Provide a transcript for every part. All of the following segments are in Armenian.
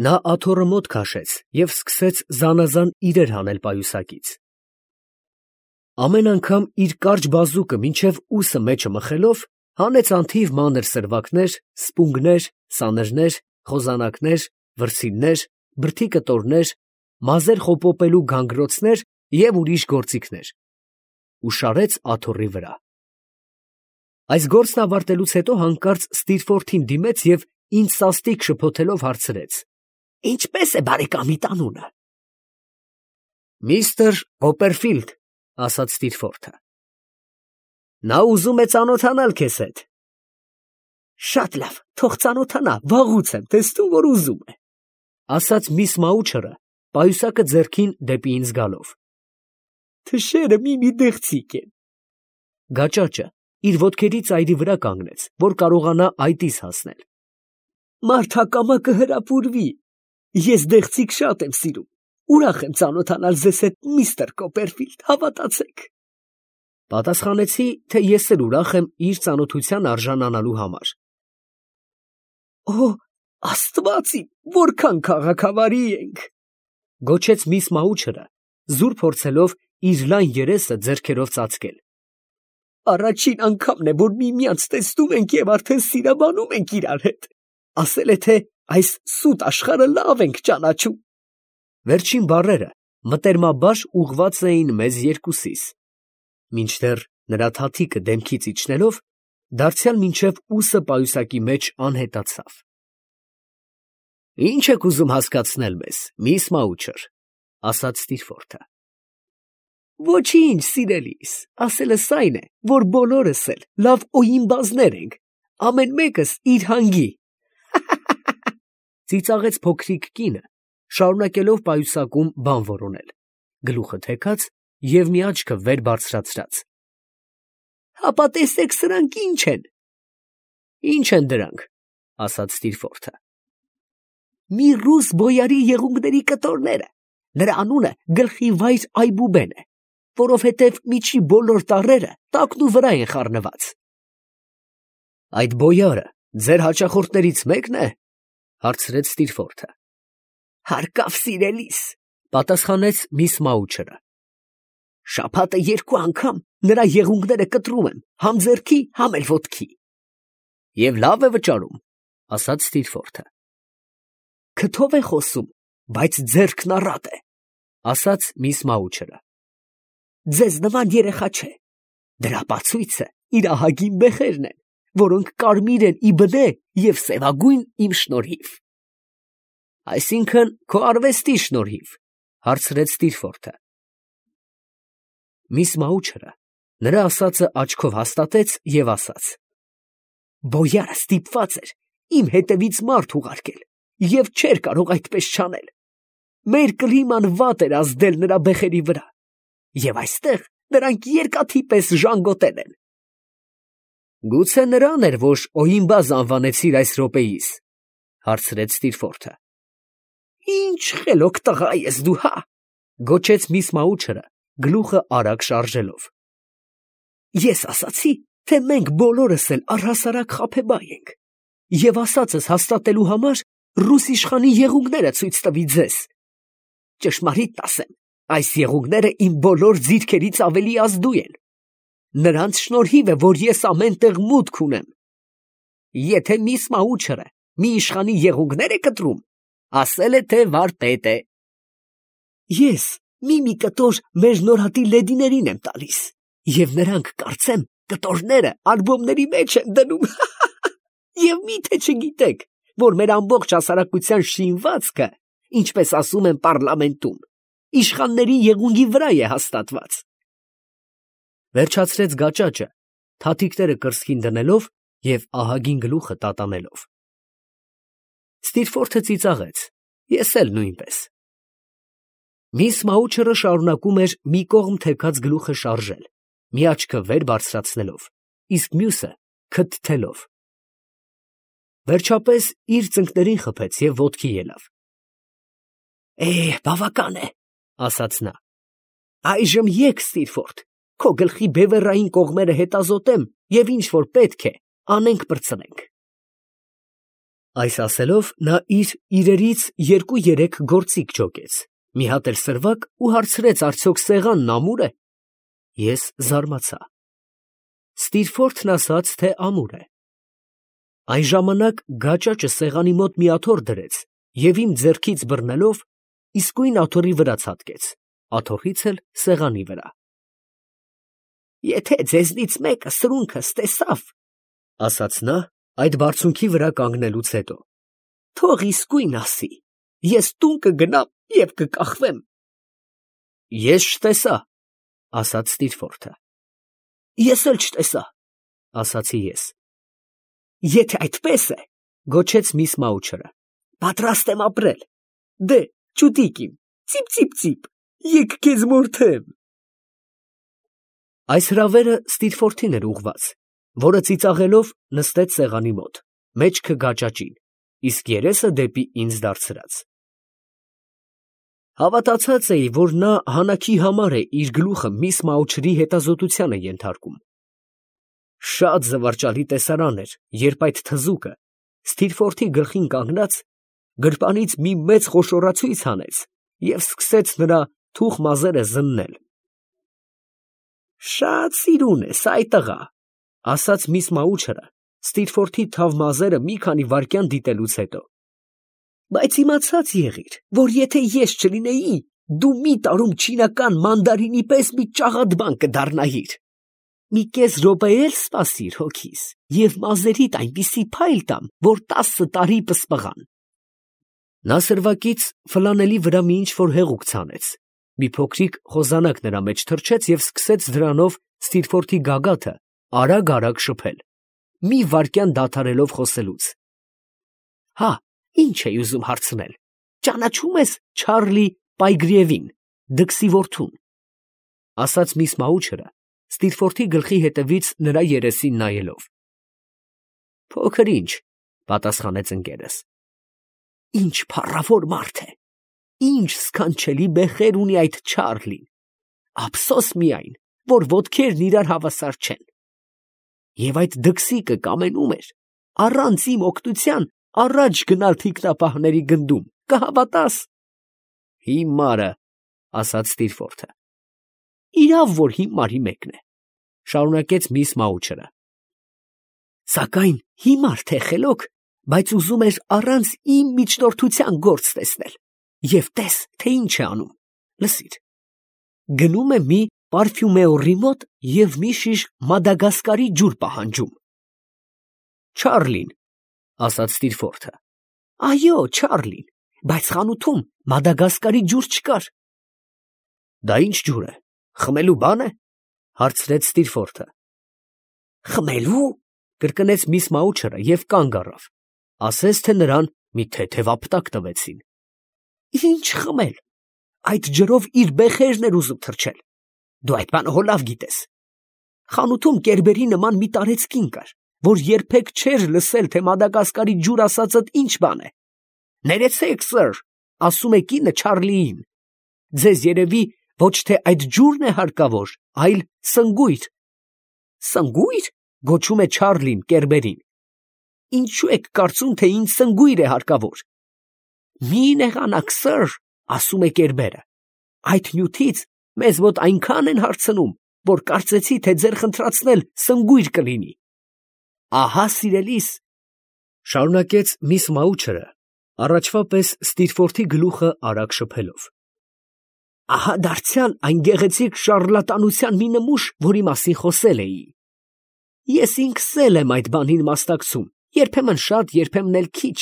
Նա աթոռը մոտ քաշեց և սկսեց զանազան իրեր հանել պայուսակից. ամեն անգամ իր կարճ բազուկը մինչև ուսը մեջը մխելով, հանեց անթիվ մանր սրվակներ, սպունգներ, սանրներ, խոզանակներ, վրձիններ, բրդի կտորներ, մազեր խոպոպելու գանգրոցներ և ուրիշ գործիքներ, ու շարեց աթոռի վրա։ Այս գործն ավարտելուց հետո հանկարծ Ստիրֆորթին դիմեց և ինձ սաստիկ շփոթելով հարցրեց. «Ինչպե՞ս է բարեկամիդ անունը»։ «Միսթր Կոպերֆիլդ», ասաց Ստիրֆորթը։ «Նա ուզում է ծանոթանալ քեզ հետ»։ «Շատ լավ, թող ծանոթանա, վաղուց եմ տեսնում, որ ուզում է», ասաց միս Մաուչերը, պայուսակը ձեռքին դեպի ինձ գալով։ «Թշերը մի դեղցիկ են»։ Գաճաճը իր ոտքերի ծայրի վրա կանգնեց, որ կարողանա այտիս հասնել։ «Մարդ հակամա կհրապուրվի, ես դեղցիկ շատ եմ սիրում, ուրախ եմ ծանոթանալ ձեզ հետ, միստր Կոպերֆիլդ, հավատացեք»։ Պատասխանեցի, թե ես էլ ուրախ եմ իր ծանոթության արժանանալու համար։ «Օ, Աստված իմ, որքան քաղաքավարի ենք», գոչեց միս Մաուչերը, զուր փորձելով իր լայն երեսը ձեռքերով ծածկել։ «Առաջին անգամն է, որ միմյանց տեսնում ենք և արդեն սիրաբանում ենք իրար հետ։ Ասել է, թե այս սուտ աշխարհը լավ ենք ճանաչում»։ Վերջին բառերը մտերմաբար ուղղված էին մեզ երկուսիս, մինչդեռ նրա թաթիկը դեմքից իջնելով, դարձյալ մինչև ուսը պայուսակի մեջ անհետացավ։ «Ի՞նչ եք ուզում հասկացնել մեզ, միս Մաուչեր», ասաց Ստիրֆորթը։ «Ոչինչ, սիրելիս, ասելս այն է, որ բոլորս էլ լավ օյիմբազներ ենք, ամեն մեկս իր հանգի», ծիծաղեց փոքրիկ կինը, շարունակելով պայուսակում բան որոնել, գլուխը թեքած և մի աչքը վեր բարձրացրած։ «Հապա տեսեք սրանք ինչ են»։ «Ի՞նչ են դրանք», ասաց Ստիրֆորթը։ «Մի ռուս բոյարի եղունգների կտորները, նրա անունը Գլխիվայր Այբուբեն է, որովհետև միջի բոլոր տառերը տակն ու վրա են խառնված»։ «Այդ բոյարը ձեր հաճախորդներից մեկն է», հարցրեց Ստիրֆորթը։ «Հարկավ, սիրելիս», պատասխանեց միս Մաուչերը։ «Շաբաթը 2 անգամ նրա եղունգները կտրում եմ, համ ձեռքի, համ էլ ոտքի»։ «Եվ լավ է վճարում», ասաց Ստիրֆորթը։ «Քթով է խոսում, բայց ձեռքն առատ է», ասաց միս Մաուչերը։ «Ձեզ նման երեխա չէ, դրա բացույցը իր ահագին բեխերն են, որոնք կարմիր են ի բնե և սևագույն իմ շնորհիվ»։ «Այսինքն քո արվեստի շնորհիվ», հարցրեց Ստիրֆորթը։ Միս Մաուչերը նրա ասածը աչքով հաստատեց և ասաց. «Բոյարը ստիպված էր իմ հետևից մարդ ուղարկել և չէր կարող այդպես չանել։ Մեր կլիման վատ էր ազդել նրա բեխերի վրա, և այստեղ նրանք երկաթի պես ժանգոտել են»։ «Գուցե նրան էր, որ օյիմբազ անվանեցիր այս րոպեիս», հարցրեց Ստիրֆորթը։ «Ինչ խելոք տղա ես դու, հա», գոչեց միս Մաուչերը, գլուխը արագ շարժելով։ «Ես ասացի, թե մենք բոլորս էլ առհասարակ խաբեբայ ենք, և ասածս հաստատելու համար ռուս իշխանի եղունգները ցույց տվի ձեզ։ Ճշմարիտն ասեմ, այս եղունգները իմ բոլոր ձիրքերից ավելի ազդու են։ Նրանց շնորհիվ է, որ ես ամեն տեղ մուտք ունեմ։ Եթե միս Մաուչերը մի իշխանի եղունգներ է կտրում, ասել է, թե վարպետ է։ Ես մի կտոր մեր նորհատի լեդիներին եմ տալիս, և նրանք կարծեմ կտորները ալբոմների մեջ են դնում։ Եվ միթե չգիտեք, որ մեր ամբողջ հասարակության շինվածքը, ինչպես ասում են պառլամենտում, իշխանների եղունգի վրա է հաստատված»։ Վերջացրեց գաճաճը, թաթիկները կրծքին դնելով և ահագին գլուխը տատանելով։ Ստիրֆորթը ծիծաղեց, ես էլ նույնպես։ Միս Մաուչերը շարունակում էր մի կողմ թեքած գլուխը շարժել, մի աչքը վեր բարձրացնելով, իսկ մյուսը քթթելով։ Վերջապես իր ծնկներին խփեց և ոտքի ելավ։ «Բավական է», ասաց նա։ «Այժմ եկ, Ստիրֆորթ, քո գլխի բևեռային կողմերը հետազոտեմ և ինչ որ պետք է անենք պրծնենք»։ Այս ասելով նա իր իրերից 2-3 գործիք ջոկեց, մի հատ էլ սրվակ ու հարցրեց արդյոք սեղանն ամուր է։ Ես զարմացա։ Ստիրֆորթն ասաց, թե ամուր է։ Այն ժամանակ գաճաճը սեղանի մոտ մի աթոռ դրեց և իմ ձեռքից բռնելով իսկույն աթոռի վրա ցատկեց, աթոռից էլ սեղանի վրա։ Եթե ձեզնից մեկը սրունքս տեսավ, ասաց նա, այդ բարձունքի վրա կանգնելուց հետո, թող իսկույն ասի, ես տուն կգնամ և կկախվեմ։ Ես չտեսա, ասաց Ստիրֆորթը։ Ես էլ չտեսա, ասացի ես։ Եթե այդպես է, գոչեց միս Մաուչերը, պատրաստ եմ ապրել։ Դե, ճուտիկ իմ, ծիպ, եկ քեզ մորթեմ։ Այս հրավերը Ստիրֆորթին էր ուղղված, որը ծիծաղելով նստեց սեղանի մոտ, մեջքը գաճաճին, իսկ երեսը դեպի ինձ դարձրած։ Հավատացած էի, որ նա հանակի համար է իր գլուխը միս Մաուչերի հետազոտությանը ենթարկում։ Շատ զվարճալի տեսարան էր, երբ այդ թզուկը, Ստիրֆորթի գլխին կանգնած, գրպանից մի մեծ խոշորացույց հանեց և սկսեց նրա թուխ մազերը զննել։ Շատ սիրուն ես, այ տղա, ասաց միս Մաուչերը, Ստիրֆորթի թավ մազերը մի քանի վայրկյան դիտելուց հետո։ Բայց իմացած եղիր, որ եթե ես չլինեի, դու մի տարում չինական մանդարինի պես մի ճաղատ բան կդառնայիր։ Մի կես րոպե էլ սպասիր հոգիս, և մազերիդ այնպիսի փայլ տամ, որ 10 տարի պսպղան։ Նա սրվակից ֆլանելի վրա մի ինչ-որ հեղուկ ցանեց, մի փոքրիկ խոզանակ նրա մեջ թռչեց և սկսեց դրանով Ստիրֆորթի գագաթը արագ շփել, մի վայրկյան դադարելով խոսելուց։ Հա, ինչ էի ուզում հարցնել, ճանաչում ես Չարլի Պայգրիևին, դքսի որդուն, ասաց միս Մաուչերը, Ստիրֆորթի գլխի հետևից նրա երեսին նայելով։ Փոքր ինչ, պատասխանեց ընկերս։ Ինչ փառավոր մարդ է, ինչ սքանչելի բեխեր ունի այդ Չարլին, ափսոս միայն, որ ոտքերն իրար հավասար չեն։ Եվ այդ դքսիկը կամենում էր առանց իմ օգնության առաջ գնալ թիկնապահների գնդում, կհավատաս։ Հիմարը, ասաց Ստիրֆորթը։ Իրավ, որ հիմարի մեկն է, շարունակեց միս Մաուչերը։ Սակայն հիմար թե խելոք, բայց ուզում էր առանց իմ միջնորդության գործ տեսնել, և տես, թե ինչ է անում, լսիր, գնում է մի պարֆյումեորի մոտ և մի շիշ Մադագասկարի ջուր պահանջում։ Չարլին, ասաց Ստիրֆորթը։ Այո, Չարլին, բայց խանութում Մադագասկարի ջուր չկար։ Դա ինչ ջուր է, խմելու բան է, հարցրեց Ստիրֆորթը։ Խմելու, կրկնեց միս Մաուչերը և կանգ առավ, ասես թե նրան մի թեթև ապտակ տվեցին։ Ինչ խմել, այդ ջրով իր բեխերն էր ուզում թրջել, դու այդ բանը հո լավ գիտես։ Խանութում կերբերի նման մի տարեց կին կար, որ երբեք չէր լսել, թե Մադագասկարի ջուր ասածդ ինչ բան է։ Ներեցեք, սըր, ասում է կինը Չարլիին, ձեզ երևի ոչ թե այդ ջուրն է հարկավոր, այլ սնգույր։ Սնգույր, գոչում է Չարլին կերբերին։ Ինչու եք կարծում, թե ինձ սնգույր է հարկավոր։ Մի նեղանաք, սըր, ասում է կերբերը, այդ նյութից մեզ մոտ այնքան են հարցնում, որ կարծեցի, թե ձեր խնդրացնել սնգույր կլինի։ Ահա սիրելիս, շարունակեց միս Մաուչերը, առաջվա պես Ստիրֆորթի գլուխը արագ շփելով։ Ահա դարձյալ այն գեղեցիկ շառլատանության մի նմուշ, որի մասին խոսել էի։ Ես ինքս էլ եմ այդ բանին մասնակցում, երբեմն շատ, երբեմն էլ քիչ,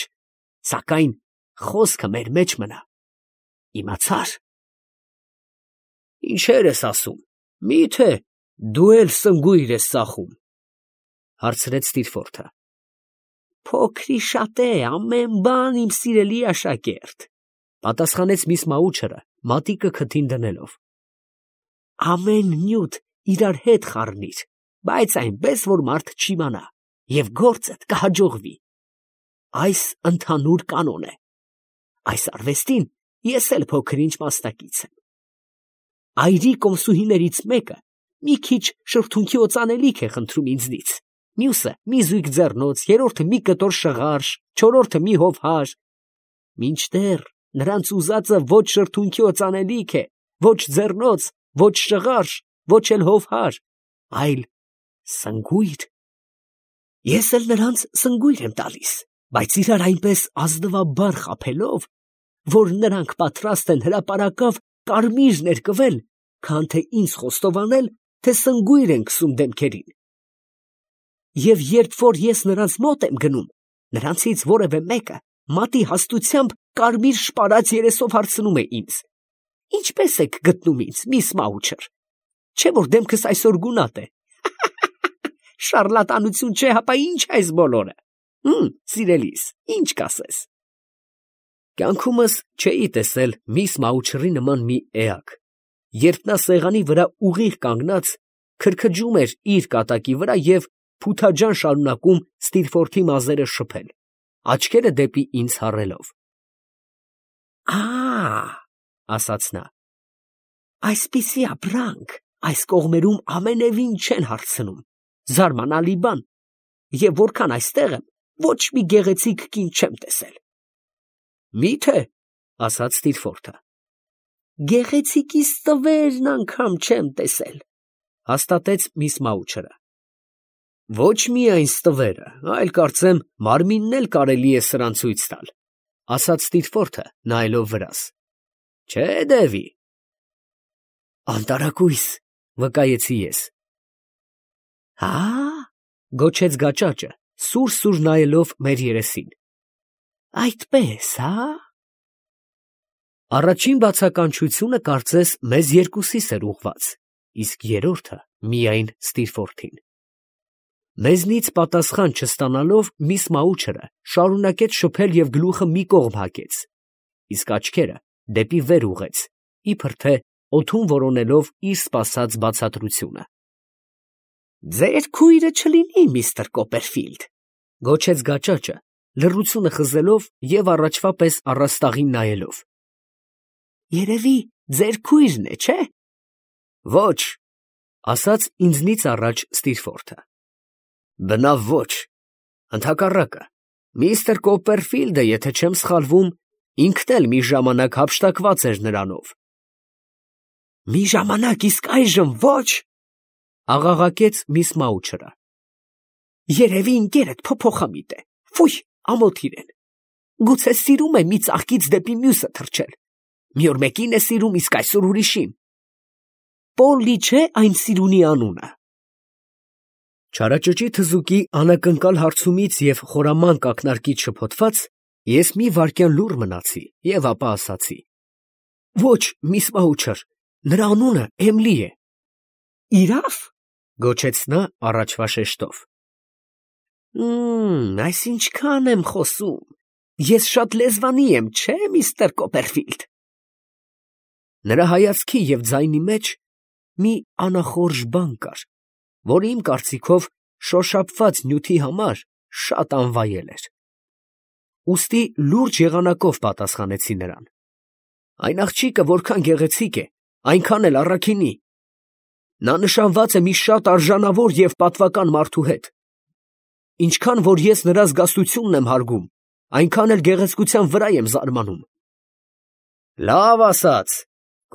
սակայն խոսքը մեր մեջ մնա։ Իմացար։ Ինչեր ես ասում, մի՞թե դու էլ սնգույր ես ծախում, հարցրեց Ստիրֆորթը։ Փոքրիշատե ամեն բան, իմ սիրելի աշակերտ, պատասխանեց միս Մաուչերը, մատիկը քթին դնելով։ Ամեն նյութ իրար հետ խառնիր, բայց այնպես, որ մարդ չիմանա, և գործդ կհաջողվի։ Այս ընդհանուր կանոն է։ Այս արվեստին ես էլ փոքր-ինչ մասնակից եմ։ Այրի կոմսուհիներից մեկը մի քիչ շրթունքի օծանելիք է խնդրում ինձնից, մյուսը մի զույգ ձեռնոց, երրորդը մի կտոր շղարշ, չորրորդը մի հովհար, մինչդեռ նրանց ուզածը ոչ շրթունքի օծանելիք է, ոչ ձեռնոց, ոչ շղարշ, ոչ էլ հովհար, այլ սնգույր։ Ես էլ նրանց սնգույր եմ տալիս, բայց իրար այնպես ազնվաբար խաբելով, որ նրանք պատրաստ են հրապարակավ կարմիր ներկվել, քան թե ինձ խոստովանել, թե սնգույր են քսում դեմքերին։ Եվ երբ որ ես նրանց մոտ եմ գնում, նրանցից որևէ մեկը մատի հաստությամբ կարմիր շպարած երեսով հարցնում է ինձ. «Ինչպես եք գտնում ինձ, միս Մաուչեր, չէ՞ որ դեմքս այսօր գունատ է»։ Շառլատանություն չէ, հապա ի՞նչ այս բոլորը։ Սիրելիս, ի՞նչ կասես։ Կյանքումս չէի տեսել միս Մաուչերի նման մի էակ, երբ նա սեղանի վրա ուղիղ կանգնած քրքջում էր իր կատակի վրա և փութաջան շարունակում Ստիլֆորթի մազերը շփել, աչքերը դեպի ինձ հառելով։ Ասաց նա, այսպիսի ապրանք այս կողմերում ամենևին չեն հարցնում, զարմանալի բան, և որքան այստեղ եմ, ոչ մի գեղեցիկ կին չեմ տեսել։ Մի՞թե, ասաց Ստիլֆորթը։ Գեղեցիկից տվերն անգամ չեմ տեսել, հաստատեց միս Մաուչերը։ Ոչ միայն ստվերը, այլ կարծեմ մարմինն էլ կարելի է սրան ցույց տալ, ասաց Ստիլֆորթը նայելով վրաս։ Չէ, Դևի։ Անտարակույս, վկայեցի ես։ Գոչեց գաճաճը, սուր նայելով մեր երեսին։ Այդպես, Առաջին բացականչությունը կարծես մեզ երկուսիս էր ուղված, իսկ երրորդը միայն Ստիլֆորթին։ Մեզնից պատասխան չստանալով միս Մաուչերը շարունակեց շփել և գլուխը մի կողմ հակեց, իսկ աչքերը դեպի վեր ուղղեց, իբր թե օդում որոնելով իր սպասած բացատրությունը։ Ձեր քույրը չլինի, միստր Կոպերֆիլդ, գոչեց գաճաճը, լռությունը խզելով և առաջվա պես առաստաղին նայելով։ Երևի ձեր քույրն է, չէ՞։ Ոչ, ասաց ինձնից առաջ Ստիլֆորթը։ Բնավ ոչ, ընդհակառակը, միստր Կոպերֆիլդը, եթե չեմ սխալվում, ինքն էլ մի ժամանակ հափշտակված էր նրանով։ Մի ժամանակ, իսկ այժմ ոչ, աղաղակեց միս Մաուչերը։ Երևի ընկերդ փոփոխամիտ է, ֆույ, ամոթ իրեն, գուցե սիրում է մի ծաղկից դեպի մյուսը թռչել, մի օր մեկին է սիրում, իսկ այսօր ուրիշին։ Պոլլի չէ այն սիրունի անունը։ Չարաճճի թզուկի անակնկալ հարցումից և խորամանկ ակնարկից շփոթված, ես մի վայրկյան լուռ մնացի և ապա ասացի. Ոչ, միս Մաուչեր, նրա անունը Էմլի է։ Իրավ, գոչեց նա առաջվա շեշտով։ Այս ինչքան եմ խոսում, ես շատ լեզվանի եմ, չէ, միստր Կոպերֆիլդ։ Նրա հայացքի և ձայնի մեջ մի անախորժ բան կար, որը իմ կարծիքով շոշափված նյութի համար շատ անվայել էր։ Ուստի լուրջ եղանակով պատասխանեցի նրան։ Այն աղջիկը որքան գեղեցիկ է, այնքան էլ առաքինի։ Նա նշանված է մի շատ արժանավոր և պատվական մարդու հետ։ Ինչքան որ ես նրա զգաստությունն եմ հարգում, այնքան էլ գեղեցկության վրա եմ զարմանում։ Լավ ասաց,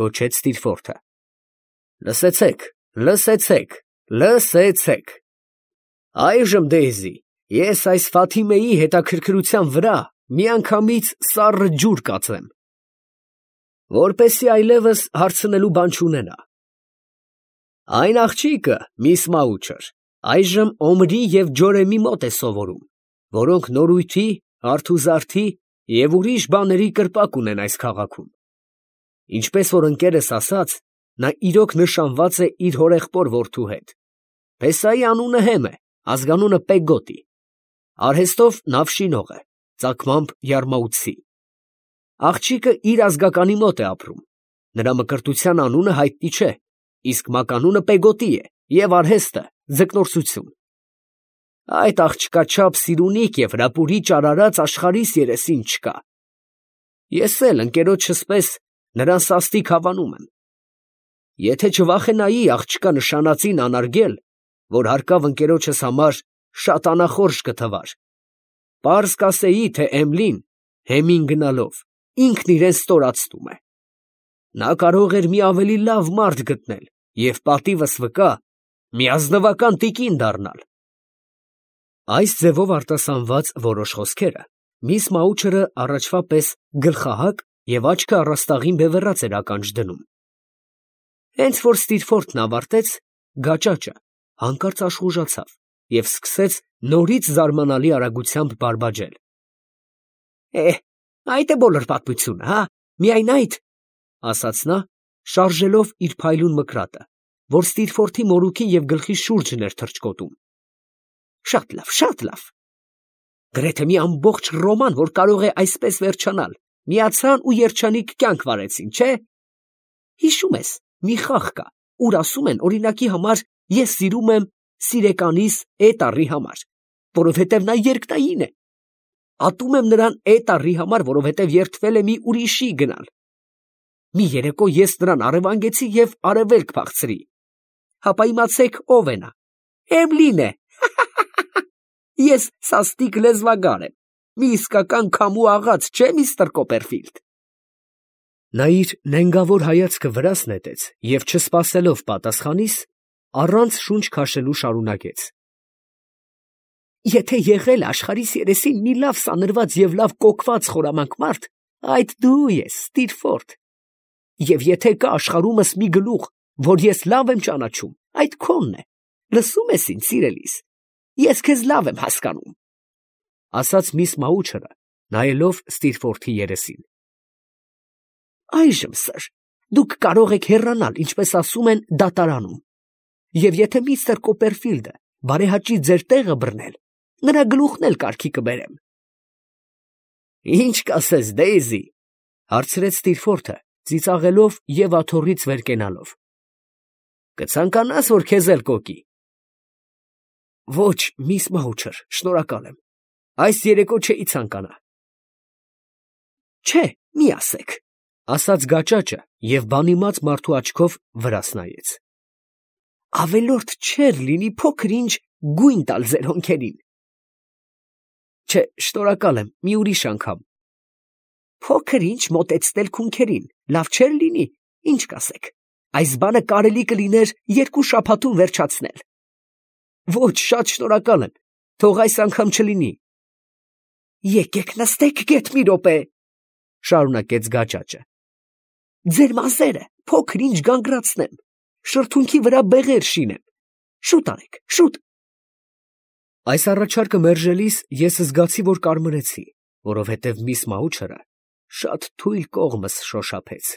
գոչեց Ստիլֆորթը։ Լսեցեք, լսեցեք, լսեցեք։ Այժմ, Դեյզի, ես այս Ֆաթիմեի հետաքրքրության վրա միանգամից սառը ջուր կածեմ, որպեսզի այլևս հարցնելու բան չունենա։ Այն աղջիկը, միս Մաուչեր, այժմ Օմրի և Ջորեմի մոտ է սովորում, որոնք նորույթի, արթուզարդի և ուրիշ բաների կրպակ ունեն այս քաղաքում։ Ինչպես որ ընկերս ասաց, նա իրոք նշանված է իր հորեղբոր որդու հետ։ Փեսայի անունը Հեմ է, ազգանունը Պեգոտի։ Արհեստով նավշինող է, ծագմամբ Յարմաութսի։ Աղջիկը իր ազգականի մոտ է ապրում։ Նրա մկրտության անունը հայտնի չէ, իսկ մականունը Պեգոտի է և արհեստը ձկնորսություն։ Այդ աղջկաչափ սիրունիկ և հրապուրիչ արարած աշխարհիս երեսին չկա։ Ես էլ ընկերոջս պես նրան սաստիկ հավանում եմ։ Եթե չվախենայի աղջկա նշանածին անարգել, որ հարկավ ընկերոջս համար շատ անախորժ կթվար։ Պարզ կասեի, թե Էմլին հեմին գնալով ինքն իրեն ստորացնում է։ Նա կարող էր մի ավելի լավ մարդ գտնել և պատիվս վկա մի ազնվական տիկին դառնալ։ Այս ձևով արտասանված որոշ խոսքերը միս Մաուչերը առաջվա պես գլխահակ և աչքը առաստաղին բևեռած էր ականջ դնում։ Հենց որ Ստիրֆորդն ավարտեց, գաճաճը հանկարծ աշխուժացավ և սկսեց նորից զարմանալի արագությամբ բարբաջել։ Այդ է բոլոր պատմությունը, հա, միայն այդ, ֊ ասաց նա, շարժելով իր փայլուն մկրատը, որ Ստիրֆորդի մորուքի և գլխի շուրջն էր թռչկոտում։ Շատ լավ, շատ լավ։ Գրեթե մի ամբողջ ռոման, որ կարող է այսպես վերջանալ, միացան ու երջանիկ կյանք վարեցին, չէ՞։ Հիշում ես, մի խաղ կա, ուր ասում են, օրինակի համար, ես սիրում եմ սիրեկանիս Էտառի համար, որովհետև նա երկնային է։ Ատում եմ նրան Էտառի համար, որովհետև երդվել է մի ուրիշի գնալ։ Մի երեկո ես նրան առևանգեցի և արևելք փախցրի։ Հապա իմացեք ով է նա։ Էմլին է։ Ես սաստիկ լեզվագար եմ, մի իսկական քամու աղաց, չէ՞, միստր Կոպերֆիլդ։ Նա իր նենգավոր հայացքը վրաս նետեց և չսպասելով պատասխանիս, առանց շունչ քաշելու շարունակեց. Եթե եղել է աշխարհիս երեսին մի լավ սանրված և լավ կոկված խորամանկ մարդ, այդ դու ես, Ստիրֆորդ։ Եվ եթե կա աշխարհումս մի գլուխ, որ ես լավ եմ ճանաչում, այդ քոնն է, լսում ես ինձ, սիրելիս, ես քեզ լավ եմ հասկանում, ֊ ասաց միս Մաուչերը, նայելով Ստիրֆորդի երեսին։ Այժմ, սըր, դուք կարող եք հեռանալ, ինչպես ասում են, դատարանում, և եթե միստր Կոպերֆիլդը բարեհաճի ձեր տեղը բռնել, նրա գլուխն էլ կարգի կբերեմ։ Ինչ կասես, Դեյզի, ֊ հարցրեց Ստիրֆորդը, ծիծաղելով և աթոռից վեր կենալով։ Կցանկանա՞ս, որ քեզ էլ կոկի։ Ոչ, միս Մաուչեր, շնորհակալ եմ, այս երեկո չէի ցանկանա։ Չէ, մի ասեք, ֊ ասաց գաճաճը և բանիմաց մարդու աչքով վրաս նայեց։ Ավելորդ չէր լինի փոքր ինչ գույն տալ ձեր հոնքերին։ Չէ, շնորհակալ եմ, մի ուրիշ անգամ։ Փոքր ինչ մոտեցնել քունքերին, լավ չէր լինի, ինչ կասեք, այս բանը կարելի կլիներ 2 շաբաթում վերջացնել։ Ոչ, շատ շնորհակալ եմ, թող այս անգամ չլինի։ Եկեք նստեք գեթ մի րոպե, ֊ շարունակեց գաճաճը։ Ձեր մազերը փոքր ինչ գանգրացնեմ, շրթունքի վրա բեղեր շինեմ, շուտ արեք, շուտ։ Այս առաջարկը մերժելիս ես զգացի, որ կարմրեցի, որովհետև միս Մաուչերը շատ թույլ կողմս շոշափեց։